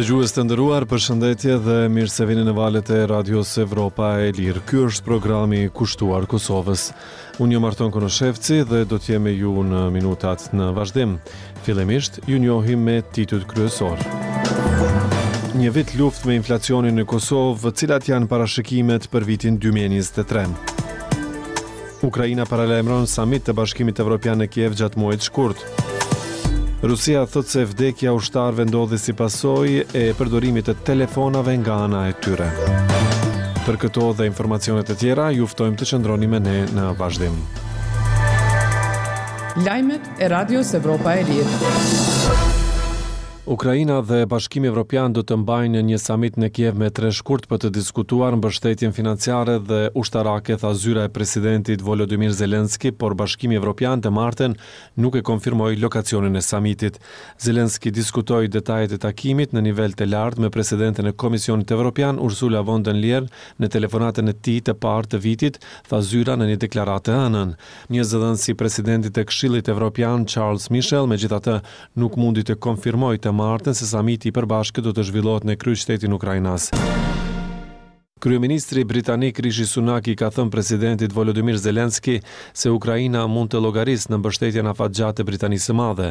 Dëgjues të nderuar, përshëndetje dhe mirë se vini në valët e Radios Evropa e Lirë. Ky është programi kushtuar Kosovës. Unë jam Arton Konoshevci dhe do të jem me ju në minutat në vazhdim. Fillimisht, ju njohim me titujt kryesorë. Një vit luftë me inflacionin në Kosovë, cilat janë parashikimet për vitin 2023? Ukraina paralajmëron samit të Bashkimit Evropian në Kiev gjatë muajit shkurt. Rusia thotë se vdekja e ushtarëve ndodhi si pasojë e përdorimit të telefonave nga ana e tyre. Për këto dhe informacione të tjera, ju ftojmë të qëndroni me ne në vazhdim. Lajmet e Radios Evropa e Lirë. Ukraina dhe Bashkimi Evropian do të mbajnë një samit në Kiev me 3 shkurt për të diskutuar mbështetjen financiare dhe ushtarake, tha zyra e presidentit Volodymyr Zelensky, por Bashkimi Evropian të martën nuk e konfirmoi lokacionin e samitit. Zelensky diskutoi detajet e takimit në nivel të lartë me presidenten e Komisionit Evropian Ursula von der Leyen në telefonatën e tij të parë të vitit, tha zyra në një deklaratë të hënën. Një zëdhënës i presidentit të Këshillit Evropian Charles Michel, megjithatë, nuk mundi të konfirmojë të martën se samiti i përbashkët do të zhvillohet në kryeqytetin ukrainas. Kryeministri britanik Rishi Sunak i ka thënë presidentit Volodymyr Zelensky se Ukraina mund të llogarisë në mbështetjen afatgjatë të Britanisë së Madhe.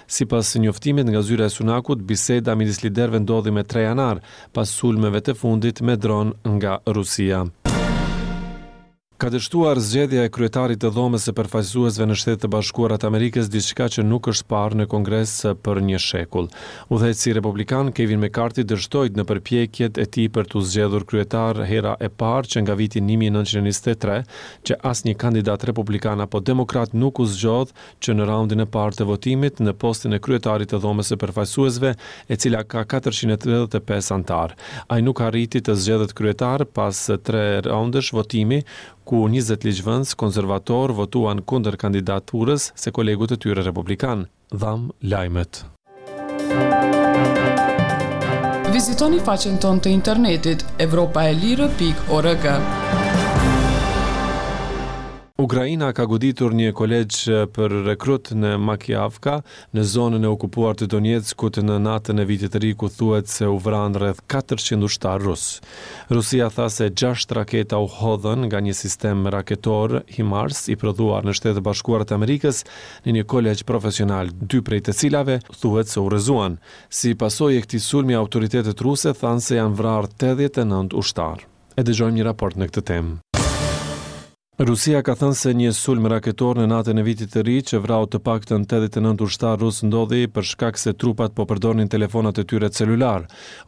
Sipas njoftimit nga zyra e Sunakut, biseda midis liderëve ndodhi me 3 janar, pas sulmeve të fundit me dron nga Rusia. Ka dështuar zgjedhja e kryetarit të Dhomës së Përfaqësuesve në Shtetet e Bashkuara të Amerikës, diçka që nuk është parë në Kongres për një shekull. Udhëheqësi republikan, Kevin McCarthy dështoi në përpjekjet e tij për t'u zgjedhur kryetar hera e parë që nga viti 1923, që asnjë kandidat republikan apo demokrat nuk u zgjodh që në raundin e parë të votimit në postin e kryetarit të Dhomës së Përfaqësuesve, e cila ka 435 anëtarë. Ai nuk arriti të zgjedhet kryetar pas tre raundesh votimi, ku 20 ligjvënës konservatorë votuan kundër kandidaturës së kolegut të tyre republikan. Dhamë lajmet. Vizitoni faqen tonë të internetit evropaelire.org. Ukraina ka goditur një kolegj për rekrut në Makiivka, në zonën e okupuar të Donetskut në natën e vitit të ri ku thuhet se u vranë rreth 400 ushtarë rusë. Rusia tha se 6 raketa u hodhën nga një sistem raketor HIMARS i prodhuar në Shtetet e Bashkuara të Amerikës në një kolegj profesional, dy prej të cilave thuhet se u rrëzuan. Si pasojë e këtij sulmi autoritetet ruse thanë se janë vrarë 89 ushtarë. E dëgjojmë një raport në këtë temë. Rusia ka thënë se një sulm raketor në natën e vitit të ri që vrau të paktën 89 ushtarë rusë ndodhi për shkak se trupat po përdornin telefonat e tyre celular.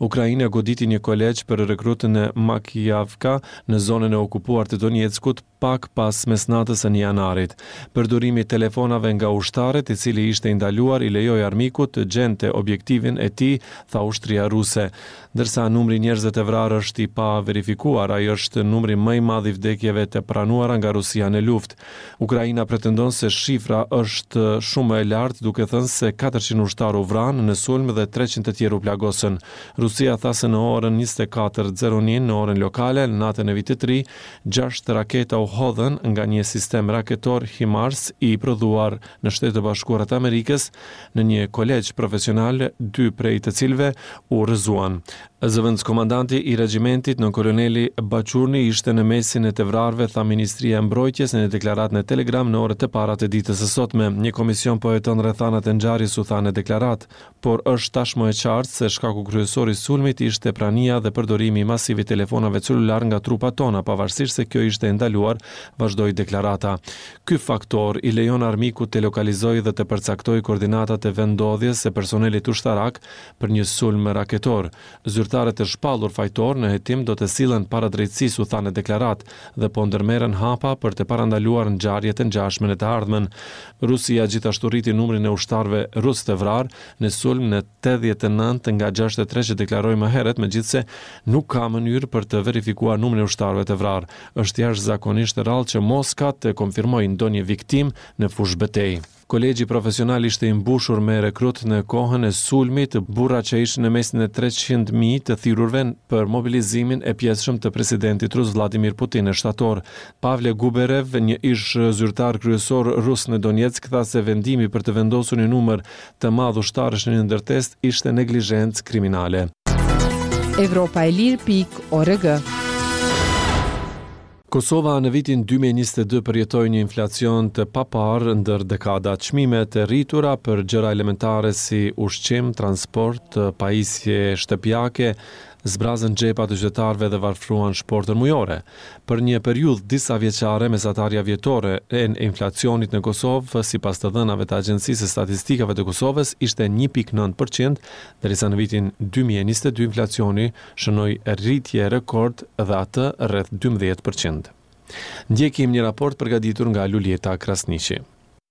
Ukraina goditi një kolegj për rekrutë në Makiivka në zonën e okupuar të Donetskut pak pas mesnatës së 1 janarit. Përdorimi i telefonave nga ushtarët, i cili ishte i ndaluar, i lejoi armikut të gjente objektivin e tij, tha ushtria ruse. Ndërsa numri i njerëzve të vrarë është i paverifikuar, ai është numri më i madh i vdekjeve të pranuara nga Rusia në luftë. Ukraina pretendon se shifra është shumë më e lartë, duke thënë se 400 ushtarë u vranë në sulm dhe 300 të tjerë u plagosën. Rusia tha se në orën 24:01 në orën lokale, në natën e vitit të ri, gjashtë raketa u hodhën nga një sistem raketor HIMARS i prodhuar në Shtetet e Bashkuara të Amerikës në një kolegj profesional, dy prej të cilëve u rrëzuan. Zëvendëskomandanti i regjimentit, nënkoloneli Bachurni ishte në mesin e të vrarëve, tha Ministria e Mbrojtjes në një deklaratë në Telegram në orët e para të ditës së sotme. Një komision po heton rrethanat e ngjarjes, u tha në deklaratë, por është tashmë e qartë se shkaku kryesor i sulmit ishte prania dhe përdorimi masiv i telefonave celular nga trupat tona, pavarësisht se kjo ishte e ndaluar, vazhdoi deklarata. Ky faktor i lejon armikut të lokalizojë dhe të përcaktojë koordinatat e vendndodhjes së personelit ushtarak për një sulm raketor. Zyrtarët e shpallur fajtor në hetim do të sillen para drejtësisë, u tha në deklaratë, dhe po ndërmerren hapa për të parandaluar ngjarje të ngjashme në të ardhmen. Rusia gjithashtu rriti numrin e ushtarëve rusë të vrarë në sulm në 89 nga 63 që deklaroi më herët, megjithëse nuk ka mënyrë për të verifikuar numrin e ushtarëve të vrarë. Është jashtëzakonisht rrallë që Moska të konfirmojë ndonjë viktimë në fushëbetejë. Kolegji profesional ishte i mbushur me rekrut në kohën e sulmit, burra që ishin në mesin e 300.000 të thirrurve për mobilizimin e pjesshëm të presidentit rus Vladimir Putin në shtator. Pavle Gubarev, një ish zyrtar kryesor rus në Donetsk, tha se vendimi për të vendosur një numër të madh ushtarësh në një ndërtesë ishte neglizhencë kriminale. Evropa e Lirë pikë org. Kosova në vitin 2022 përjetoi një inflacion të paparë ndër dekada. Çmimet e rritura për gjëra elementare si ushqim, transport, pajisje shtëpiake, zbrazën xhepat e qytetarëve dhe varfëruan shportën mujore. Për një periudhë disavjeçare, mesatarja vjetore e inflacionit në Kosovë, sipas të dhënave të Agjencisë së Statistikave të Kosovës, ishte 1.9 për qind, derisa në vitin 2022 inflacioni shënoi rritje rekord dhe atë rreth 12 për qind. Ndjekim një raport përgatitur nga Luljeta Krasniqi.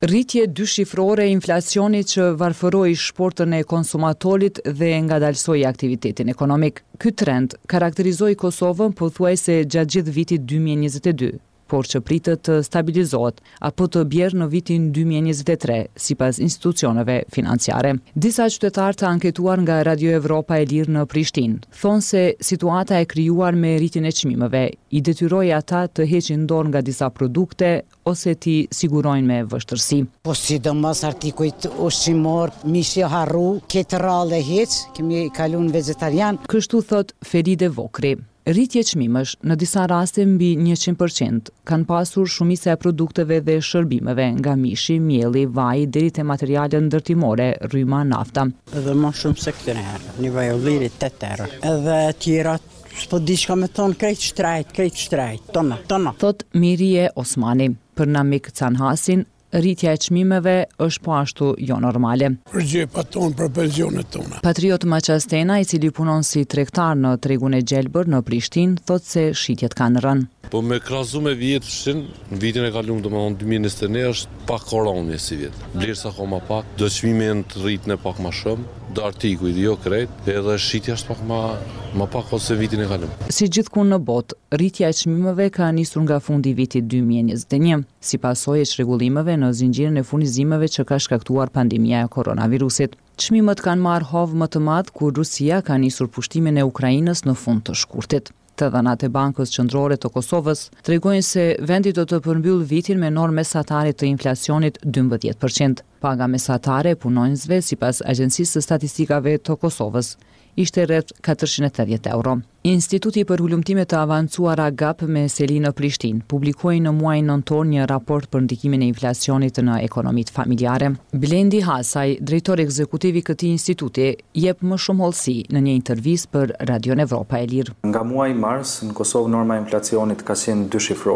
Rritje dyshifrore e inflacionit që varfëroi shportën e konsumatorit dhe ngadalësoi aktivitetin ekonomik. Ky trend karakterizoi Kosovën pothuajse gjatë gjithë vitit 2022, por që pritet të stabilizohet apo të bjerë në vitin 2023, sipas institucioneve financiare. Disa qytetarë të anketuar nga Radio Evropa e Lirë në Prishtinë, thonë se situata e krijuar me rritjen e çmimeve i detyroi ata të heqin dorë nga disa produkte ose t'i sigurojnë me vështirësi. Po sidomos artikujt ushqimor, mishi harru, këtë rrallë e hiq, kemi kalu në vegetarian. Kështu thotë Feride Vokri. Rritje çmimesh, në disa raste mbi 100%, kanë pasur shumica e produkteve dhe shërbimeve, nga mishi, mielli, vaji deri te materialet ndërtimore, rryma, nafta. Edhe ma shumë se këtyre herë, një vaj ulliri 8 euro. Edhe tjerat, s'po di çka me thonë, krejt shtrejt, krejt shtrejt, tona, tona. Thot Mirie Osmani. Për Namik Canhasin, rritja e çmimeve është po ashtu jo normale. Për xhepat tonë, për pensionet tona. Patriot Maqastena, i cili punon si tregtar në tregun e Gjelbër në Prishtinë, thot se shitjet kanë rënë. Po me krahasu me vjetëshin, në vitin e kalum, domethonë 2021, është pak koronje si vjet. Blersa ka ma pak, do çmime janë të rritne pak ma shumë, do artikuj, jo krejt, edhe shitja është pak ma, ma pak ose vitin e kalum. Si gjithkund në botë, rritja e çmimeve ka nisur nga fundi i vitit 2021, si pasojë e çrregullimeve në zinxhirin e furnizimeve që ka shkaktuar pandemia e koronavirusit. Çmimet kanë marrë hov më të madh kur Rusia ka nisur pushtimin e Ukrainës në fund të shkurtit. Të dhënat e Bankës Qendrore të Kosovës tregojnë se vendi do të përmbyllë vitin me normë mesatare të inflacionit 12%. Paga mesatare e punonjësve sipas Agjencisë së Statistikave të Kosovës ishte rreth 480 euro. Instituti për hulumtime të avancuara GAP me seli në Prishtinë publikoi në muajin nëntor një raport për ndikimin e inflacionit në ekonomitë familjare. Blendi Hasaj, drejtor ekzekutiv i këtij instituti, jep më shumë hollësi në një intervistë për Radion Evropa e Lirë. Nga muaji mars në Kosovë norma e inflacionit ka qenë dyshifrore.